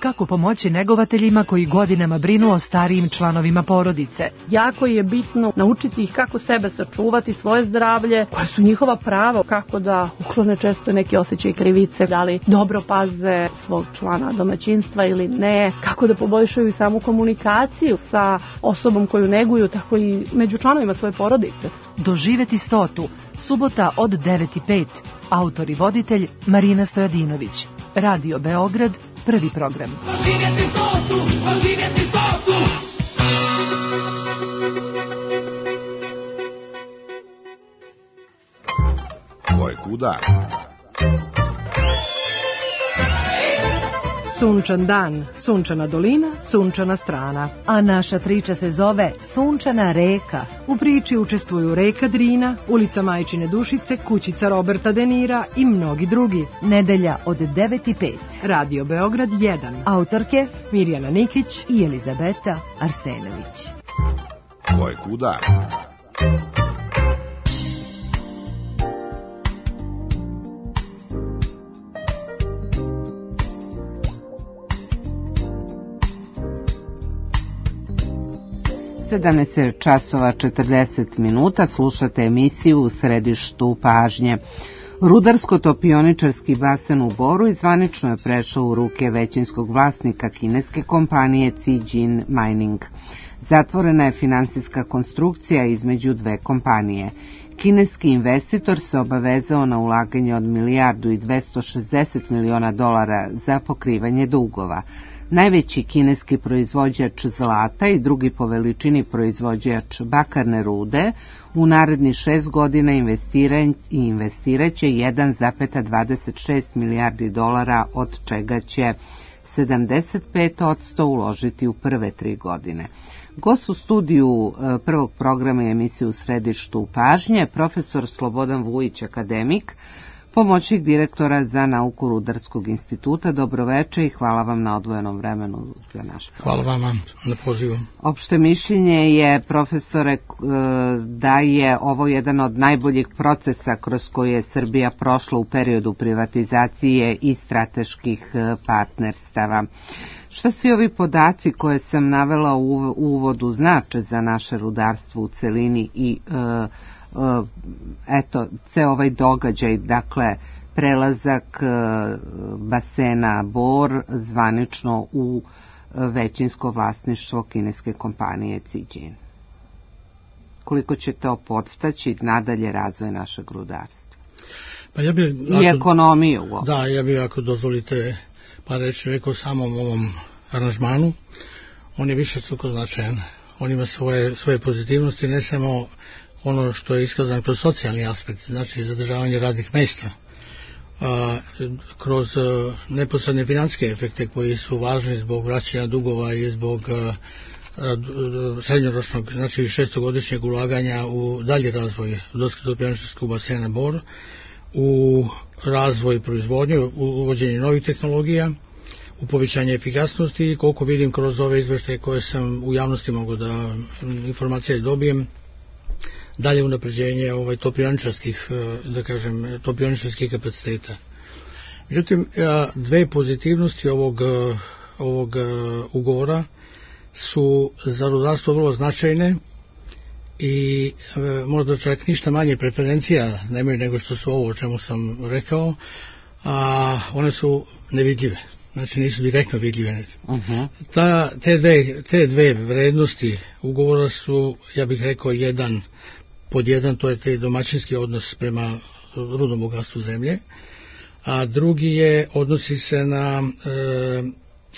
Kako pomoći negovateljima koji godinama brinu o starijim članovima porodice? Jako je bitno naučiti ih kako sebe sačuvati, svoje zdravlje, koja su njihova prava, kako da uklone često neki osjećaj krivice, da li dobro paze svog člana domaćinstva ili ne, kako da poboljšaju samu komunikaciju sa osobom koju neguju, tako i među članovima svoje porodice. Doživeti 100. Subota od 9:05. Autor i voditelj Marina Stojadinović. Radio Beograd, prvi program. Doživjeti 100, doživjeti 100. Ko je kuda? Sunčan dan, sunčana dolina, sunčana strana. A naša priča se zove Sunčana reka. U priči učestvuju Reka Drina, Ulica Majčine Dušice, Kućica Roberta De Nira i mnogi drugi. Nedelja od 9:05. Radio Beograd 1. Autorke Mirjana Nikić i Elizabeta Arsenović. Ko je kuda? časova 40 minuta, slušate emisiju U središtu pažnje. Rudarsko-topioničarski basen u Boru zvanično je prešao u ruke većinskog vlasnika kineske kompanije Zijin Mining. Zatvorena je finansijska konstrukcija između dve kompanije. Kineski investitor se obavezao na ulaganje od $1.260 miliona za pokrivanje dugova. Najveći kineski proizvođač zlata i drugi po veličini proizvođač bakarne rude u narednih 6 godina investiraće $1,26 milijardi, od čega će 75% uložiti u prve 3 godine. Gost u studiju prvog programa i emisije U središtu pažnje, profesor Slobodan Vujić, akademik, pomoćnik direktora za nauku Rudarskog instituta. Dobroveče i hvala vam na odvojenom vremenu za naš program. Hvala vama na pozivu. Opšte mišljenje je, profesore, da je ovo jedan od najboljih procesa kroz koje je Srbija prošla u periodu privatizacije i strateških partnerstava. Šta svi ovi podaci koje sam navela u uvodu znače za naše rudarstvo u celini i ceo ovaj događaj, dakle prelazak basena Bor zvanično u većinsko vlasništvo kineske kompanije Zijin? Koliko će to podstaći nadalje razvoj našeg rudarstva? Pa ja bi, i ekonomiju uopšte. Da, ja bih, ako dozvolite par reći, rekao samom ovom aranžmanu. On je višestruko značajan. On ima svoje pozitivnosti, ne samo ono što je iskazano kroz socijalni aspekt, znači zadržavanje radnih mjesta, kroz neposredne financijske efekte koji su važni zbog vraćanja dugova i zbog srednjoročnog, znači 6-godišnjeg ulaganja u dalji razvoj rudarsko-topioničarskog basena Bor, u razvoj proizvodnje, u uvođenje novih tehnologija, u povećanje efikasnosti i koliko vidim kroz ove izveštaje koje sam u javnosti mogu da informacije dobijem, dalje unapređenje topioničarskih kapaciteta. Međutim, dve pozitivnosti ovog ugovora su za rudarstvo vrlo značajne i možda čak ništa manje preferencija nemaju nego što su ovo o čemu sam rekao, a one su nevidljive. Znači nisu direktno vidljive. Te dve vrednosti ugovora su, ja bih rekao, pod jedan, to je taj domaćinski odnos prema rudnom bogatstvu zemlje, a drugi odnosi se na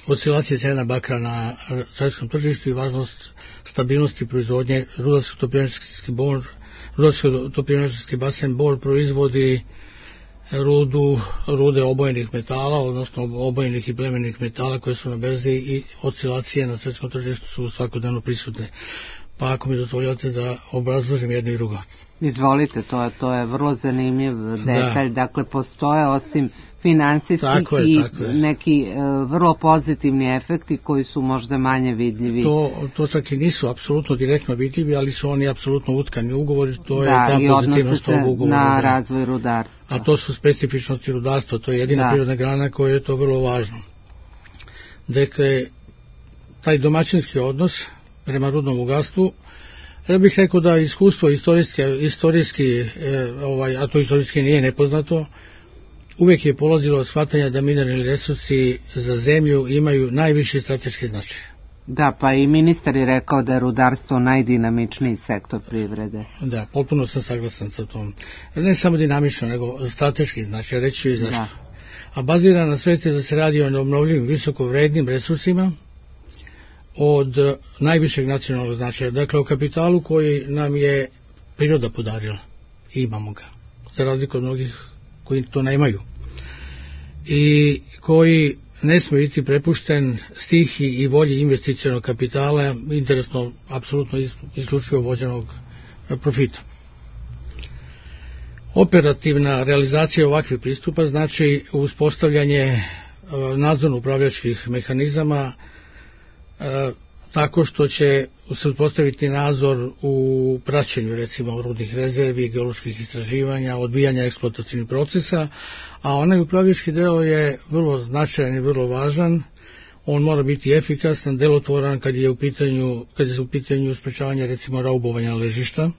oscilacije cena bakra na svjetskom tržištu i važnost stabilnosti proizvodnje. Rudarsko-topioničarski basen Bor proizvodi rude obojenih metala, odnosno obojenih i plemenih metala koje su na berzi i oscilacije na svjetskom tržištu su svakodnevno prisutne. pa ako mi dozvoljate da obrazložim jedno i drugo. Izvolite, to je vrlo zanimljiv detalj, dakle postoje osim finansijskih i neki vrlo pozitivni efekti koji su možda manje vidljivi. To čak i nisu apsolutno direktno vidljivi, ali su oni apsolutno utkani ugovori, to je ta pozitivnost ovog ugovora. Na razvoj rudarstva. A to su specifičnosti rudarstva, to je jedina prirodna grana koja je to vrlo važno. Dakle, taj domaćinski odnos prema rudnom bogatstvu, ja bih rekao da iskustvo istorijski, a to istorijski nije nepoznato, uvijek je polazilo od shvatanja da mineralni resursi za zemlju imaju najviši strateški značaj. Da, pa i ministar je rekao da je rudarstvo najdinamičniji sektor privrede. Da, potpuno sam saglasan sa tom. Ne samo dinamično, nego strateški značaj, reći ću i zašto. A bazira na svesti da se radi o obnovljivim visokovrednim resursima od najvišeg nacionalnog značaja. Dakle, o kapitalu koji nam je priroda podarila. I imamo ga. Za razliku od mnogih koji to nemaju. I koji ne smije biti prepušten stihi i volji investicionog kapitala, interesno, apsolutno isključivo vođenog profita. Operativna realizacija ovakvih pristupa znači uspostavljanje nadzorno-upravljačkih mehanizama tako što će se uspostaviti nadzor u praćenju recimo rudnih rezervi, geoloških istraživanja, odvijanja eksploatacijnih procesa, a onaj upravljački deo je vrlo značajan i vrlo važan. On mora biti efikasan, delotvoran kad je u pitanju sprečavanja recimo raubovanja ležišta,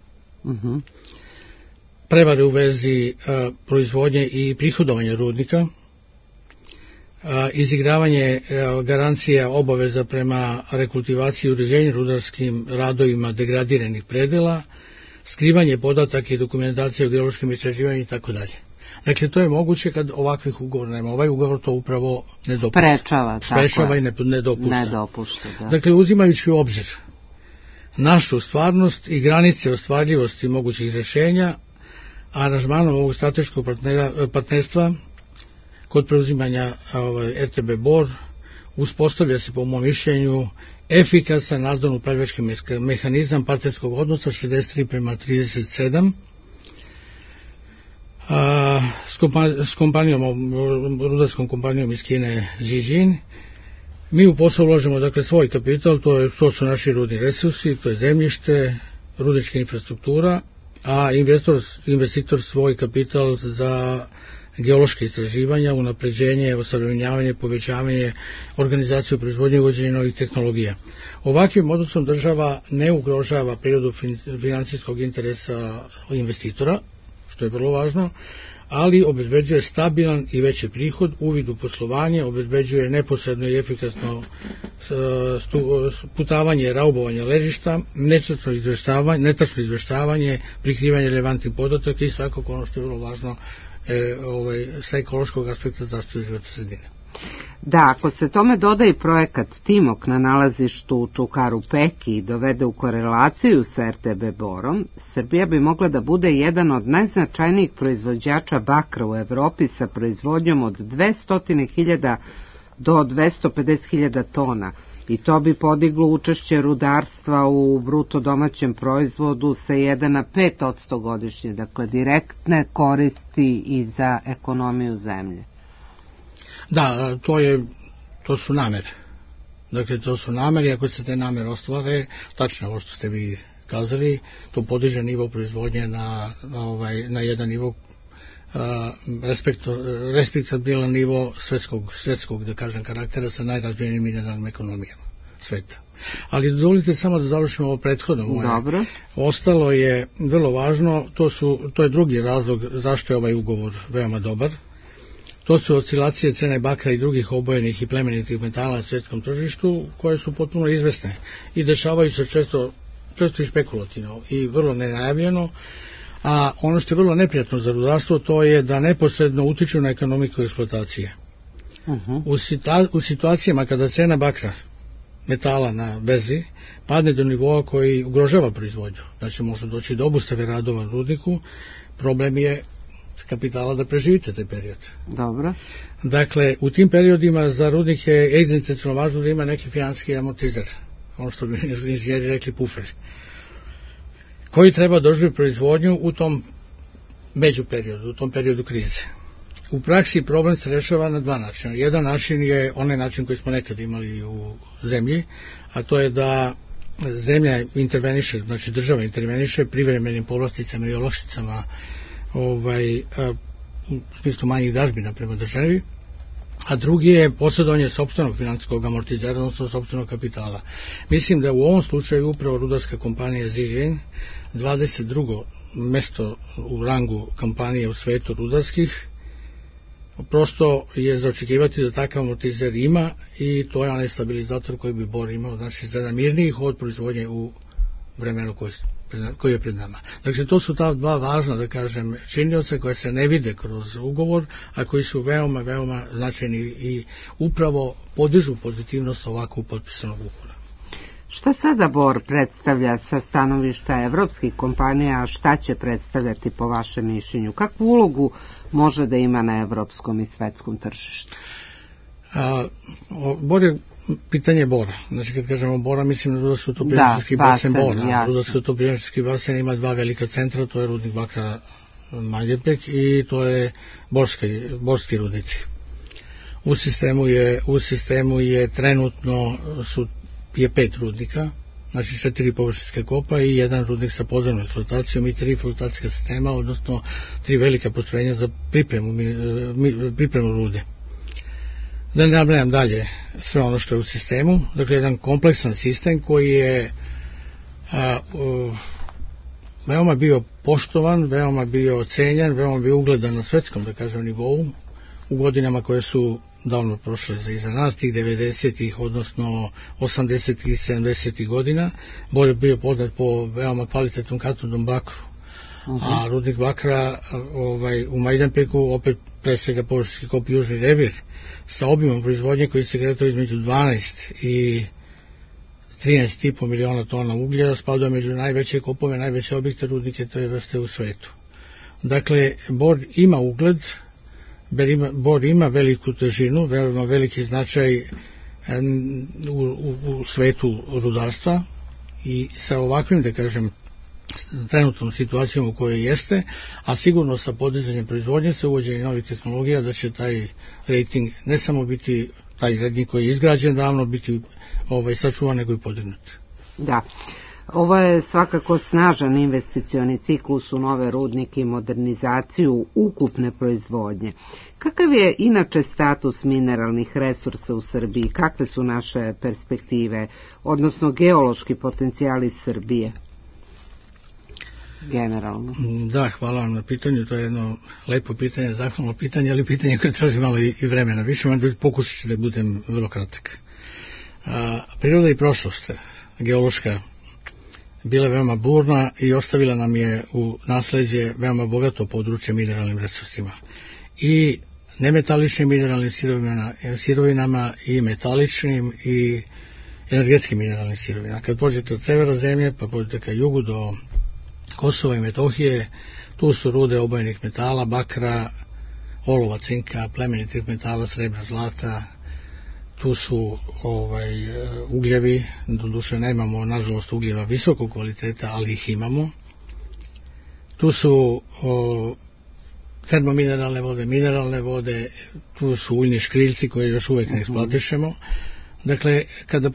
prevare u vezi proizvodnje i prihodovanja rudnika, izigravanje garancija obaveza prema rekultivaciji i uređenju rudarskim radovima degradiranih predela, skrivanje podataka i dokumentacije o geološkim istraživanjima i tako dalje. Dakle, to je moguće kad ovakvih ugovora nema. Ovaj ugovor to upravo ne dopušta. Sprečava i ne dopušta. Dakle, uzimajući u obzir našu stvarnost i granice ostvarljivosti mogućih rješenja, aranžmanom ovog strateškog partnerstva kod preuzimanja RTB Bor uspostavlja se po mom mišljenju efikasan nadzorno-upravljački mehanizam partnerskog odnosa 63:37 s kompanijom, rudarskom kompanijom iz Kine Zijin. Mi u posao ulažemo dakle svoj kapital, to su naši rudni resursi, to je zemljište, rudnička infrastruktura, a investitor svoj kapital za geološke istraživanja, unapređenje, osavremenjavanje, povećavanje, organizaciju proizvodnje i uvođenje novih tehnologija. Ovakvim odnosom država ne ugrožava prirodu financijskog interesa investitora, što je vrlo važno, ali obezbeđuje stabilan i veći prihod, uvid u poslovanje, obezbeđuje neposredno i efikasno putavanje, raubovanje ležišta, netačno izveštavanje, prikrivanje relevantnih podataka i svakako ono što je vrlo važno sa ekološkog aspekta zaštite životne sredine. Da, ako se tome doda i projekat Timok na nalazištu u Čukaru Peki i dovede u korelaciju sa RTB Borom, Srbija bi mogla da bude jedan od najznačajnijih proizvođača bakra u Evropi sa proizvodnjom od 200.000 do 250.000 tona. I to bi podiglo učešće rudarstva u bruto domaćem proizvodu sa 1 na 5% godišnje, dakle direktne koristi i za ekonomiju zemlje. Da, to su namere. Dakle, to su namere, ako se te namere ostvare, tačno ovo što ste vi kazali, to podiže nivo proizvodnje na jedan nivo respektabilan nivo svetskog, da kažem, karaktera sa najrazvijenijim mineralnim ekonomijama sveta. Ali dozvolite samo da završimo ovo prethodno moje. Dobro. Ostalo je vrlo važno, to je drugi razlog zašto je ovaj ugovor veoma dobar. To su oscilacije cene bakra i drugih obojenih i plemenitih metala na svjetskom tržištu, koje su potpuno izvesne i dešavaju se često i špekulativno i vrlo nenajavljeno, a ono što je vrlo neprijatno za rudarstvo to je da neposredno utiču na ekonomiku eksploatacije. U situacijama kada cena bakra, metala na berzi, padne do nivoa koji ugrožava proizvodnju, znači može doći do obustave radova na rudniku, problem je kapitala da preživite taj period. Dobro. Dakle, u tim periodima za rudnik je egzistencijalno važno da ima neki financijski amortizer, ono što bi inženjeri rekli pufer. koji treba doživjeti proizvodnju u tom međuperiodu, u tom periodu krize. U praksi problem se rešava na dva načina. Jedan način je onaj način koji smo nekad imali u zemlji, a to je da zemlja interveniše, znači država interveniše privremenim povlasticama i olakšicama u smislu manjih dažbina prema državi, a drugi je posjedovanje sopstvenog financijskog amortizera, odnosno sopstvenog kapitala. Mislim da u ovom slučaju upravo rudarska kompanija Zijin, 22. mesto u rangu kompanije u svetu rudarskih, prosto je za očekivati da takav amortizer ima i to je onaj stabilizator koji bi Bor imao, znači za mirniji hod proizvodnje u vremenu koji je pred nama. Dakle, to su ta dva važna, da kažem, činioca koje se ne vide kroz ugovor, a koji su veoma, veoma značajni i upravo podižu pozitivnost ovako potpisanog ugovora. Šta sada Bor predstavlja sa stanovišta evropskih kompanija, a šta će predstavljati po vašem mišljenju? Kakvu ulogu može da ima na evropskom i svetskom tržištu? Bor je pitanje Bora. Znači, kad kažemo Bora, mislim na rudarsko-topljenski basen Bora. Rudarsko-topljenski basen ima dva velika centra, to je rudnik bakra Majdanpek i to je borski rudnici. U sistemu je trenutno je 5 rudnika, znači 4 površinske kopa i jedan rudnik sa podzemnom eksploatacijom i 3 eksploatacijska sistema, odnosno 3 velika postrojenja za pripremu rude. Da ne nabrajam dalje sve ono što je u sistemu, dakle jedan kompleksan sistem koji je veoma bio poštovan, veoma bio ocenjen, veoma bio ugledan na svetskom, da kažem, nivou u godinama koje su davno prošle iza nas, tih 90-ih, odnosno 80-ih i 70-ih godina. Bor je bio poznat po veoma kvalitetnom katodnom bakru. A rudnik bakra u Majdanpeku, opet pre svega površinski kop Južni revir, sa obimom proizvodnje koji se kretao između 12 i 13,5 miliona tona uglja, spada među najveće kopove, najveće objekte rudnike te vrste u svetu. Dakle, Bor ima ugled, Bor ima veliku težinu, veoma veliki značaj u svetu rudarstva i sa ovakvim, da kažem, trenutnom situacijom u kojoj jeste, a sigurno sa podizanjem proizvodnje, sa uvođenjem novih tehnologija, da će taj rating ne samo biti taj rating koji je izgrađen davno, biti sačuvan, nego i podignut. Da. Ovo je svakako snažan investicioni ciklus u nove rudnike i modernizaciju ukupne proizvodnje. Kakav je inače status mineralnih resursa u Srbiji? Kakve su naše perspektive, odnosno geološki potencijali Srbije? Generalno. Da, hvala vam na pitanju, to je jedno lepo pitanje, zahvalno pitanje, ali pitanje koje traži malo i vremena. Više vam pokušat ću da budem vrlo kratak. Priroda i prošlost, geološka, bila veoma burna i ostavila nam je u nasleđe veoma bogato područje mineralnim resursima. I nemetaličnim mineralnim sirovinama i metaličnim i energetskim mineralnim sirovinama. Kad pođete od severa zemlje, pa pođete ka jugu do Kosova i Metohije, tu su rude obojenih metala, bakra, olova, cinka, plemenitih metala, srebra, zlata, tu su ugljevi, doduše nemamo nažalost ugljeva visokog kvaliteta, ali ih imamo. Tu su termomineralne vode, mineralne vode, tu su uljni škriljci koje još uvek ne eksploatišemo. Dakle, kada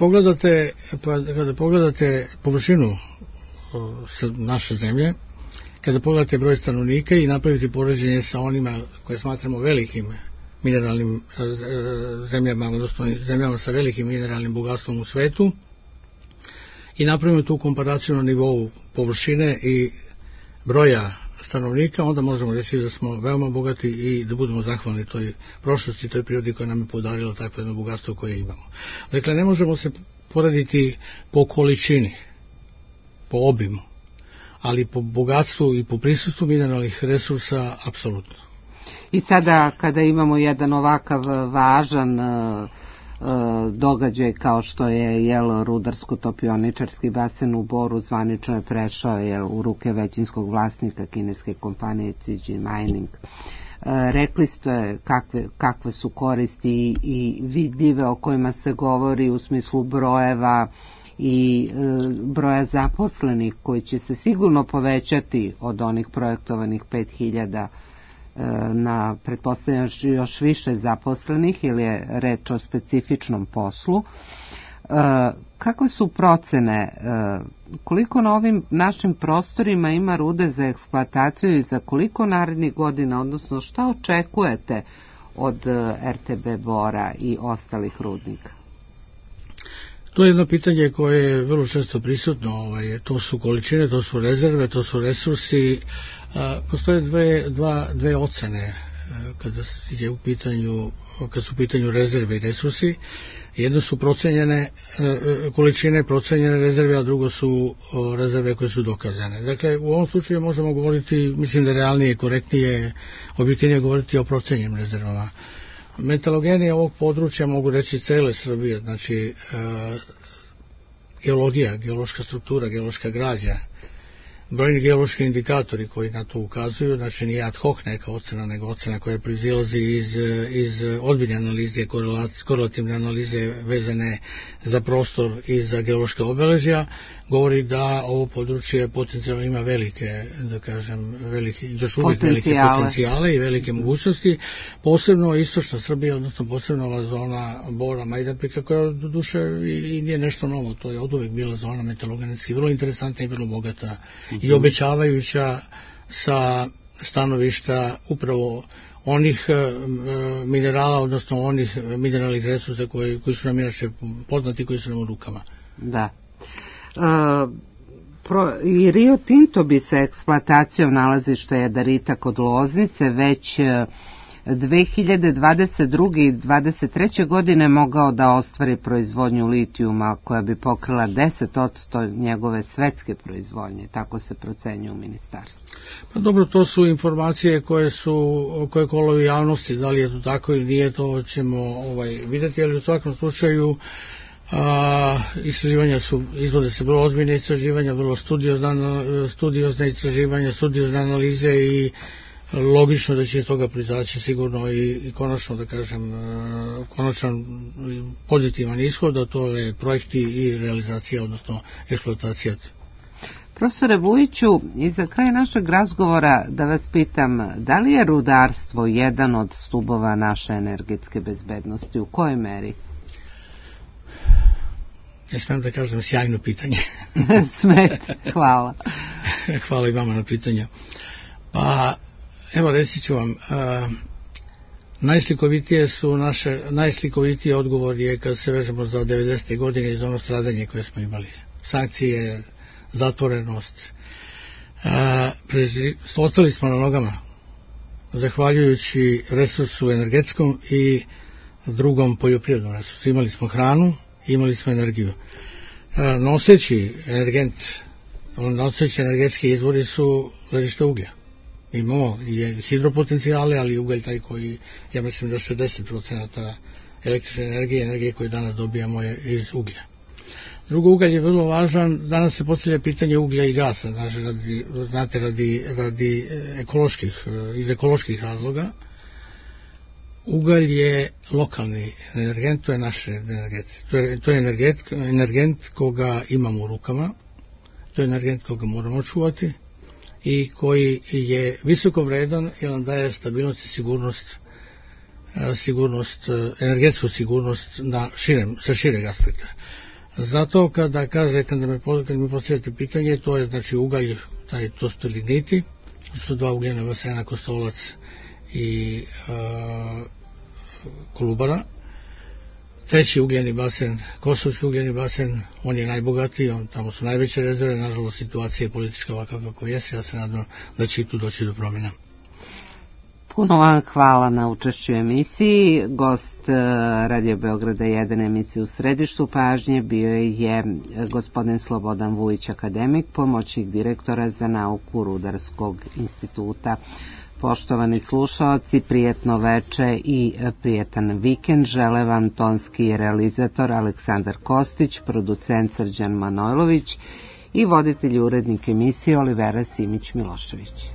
pogledate površinu naše zemlje, kada pogledate broj stanovnika i napraviti poređenje sa onima koje smatramo velikim mineralnim zemljama, odnosno zemljama sa velikim mineralnim bogatstvom u svetu i napravimo tu komparaciju na nivou površine i broja stanovnika, onda možemo reći da smo veoma bogati i da budemo zahvalni toj prošlosti, toj prirodi koja nam je podarila takvo jedno bogatstvo koje imamo. Dakle, ne možemo se porediti po količini, po obimu, ali po bogatstvu i po prisustvu mineralnih resursa apsolutno. I sada kada imamo jedan ovakav važan događaj kao što je rudarsko-topioničarski basen u Boru, zvanično je prešao u ruke većinskog vlasnika kineske kompanije Zijin Mining. Rekli ste kakve su koristi i vidljive o kojima se govori u smislu brojeva i broja zaposlenih koji će se sigurno povećati od onih projektovanih 5000 na pretpostavljam još više zaposlenih ili je reč o specifičnom poslu. Kakve su procene, koliko na ovim našim prostorima ima rude za eksploataciju i za koliko narednih godina, odnosno šta očekujete od RTB Bora i ostalih rudnika? To je jedno pitanje koje je vrlo često prisutno, to su količine, to su rezerve, to su resursi. Postoje dve ocene kada su u pitanju rezerve i resursi. Jedno su procenjene količine, procenjene rezerve, a drugo su rezerve koje su dokazane. Dakle, u ovom slučaju možemo govoriti, mislim da realnije, korektnije, objektivnije govoriti o procenjenim rezervama. Metalogeni ovog područja, mogu reći cele Srbije, znači geologija, geološka struktura, geološka građa, brojni geološki indikatori koji na to ukazuju, znači nije ad hoc neka ocena, nego ocena koja proizilazi iz ozbiljne analize, korelativne analize vezane za prostor i za geološka obeležja, govori da ovo područje potencijalno ima velike, da kažem, još uvijek velike potencijale i velike mogućnosti, posebno istočna Srbija, odnosno posebno ova zona Bora, Majdanpeka, koja do duše i nije nešto novo, to je oduvek bila zona metalogenetski, vrlo interesantna i vrlo bogata i obećavajuća sa stanovišta upravo onih minerala, odnosno onih mineralnih resursa koji su nam inače poznati, koji su nam u rukama. Da. I Rio Tinto bi sa eksploatacijom nalazišta jadarita kod Loznice već 2022. i 2023. godine mogao da ostvari proizvodnju litijuma koja bi pokrila 10% njegove svetske proizvodnje, tako se procenjuje u ministarstvu. Pa dobro, to su informacije koje kolovi javnosti, da li je to tako ili nije, to ćemo vidjeti, ali u svakom slučaju istraživanja izvode se vrlo ozbiljne istraživanja, vrlo studiozne istraživanja, studiozne analize i logično da će iz toga proizaći sigurno i konačno, da kažem, konačan pozitivan ishod, a to je projekti i realizacija, odnosno eksploatacija. Profesore Vujiću, i za kraj našeg razgovora da vas pitam, da li je rudarstvo jedan od stubova naše energetske bezbednosti? U kojoj meri? Ja smijem da kažem sjajno pitanje. Smete, hvala. Hvala i vama na pitanju. Pa, evo reći ću vam, najslikovitiji odgovor je kad se vežemo za 90. godine i za ono stradanje koje smo imali. Sankcije, zatvorenost. Ostali smo na nogama, zahvaljujući resursu energetskom i drugom poljoprivrednom resursu. Imali smo hranu, imali smo energiju. Noseći energetski izvori su ležište uglja. Imamo i hidropotencijale, ali i ugalj taj koji, ja mislim da 60% električne energije koju danas dobijamo je iz uglja. Drugo, ugalj je vrlo važan, danas se postavlja pitanje uglja i gasa, znate, radi iz ekoloških razloga. Ugalj je lokalni energent, to je naš energent. To je energent koga imamo u rukama, to je energent koga moramo čuvati i koji je visoko vredan jer nam daje stabilnost i energetsku sigurnost sa šireg aspekta. Zato kad mi postavljate pitanje, to je znači ugalj, to su ligniti, to su dva ugljena basena, Kostolac i Kolubara. Treći ugljeni basen, Kosovski ugljeni basen, on je najbogatiji, tamo su najveće rezerve, nažalost situacija je politička ovakva kako jeste, ja se nadam da će i tu doći do promjena. Puno vam hvala na učešću u emisiji. Gost Radio Beograda 1 emisije u središtu pažnje bio je gospodin Slobodan Vujić, akademik, pomoćnik direktora za nauku Rudarskog instituta. Poštovani slušaoci, prijetno veče i prijetan vikend žele vam tonski realizator Aleksandar Kostić, producent Srđan Manojlović i voditelj urednik emisije Olivera Simić-Milošević.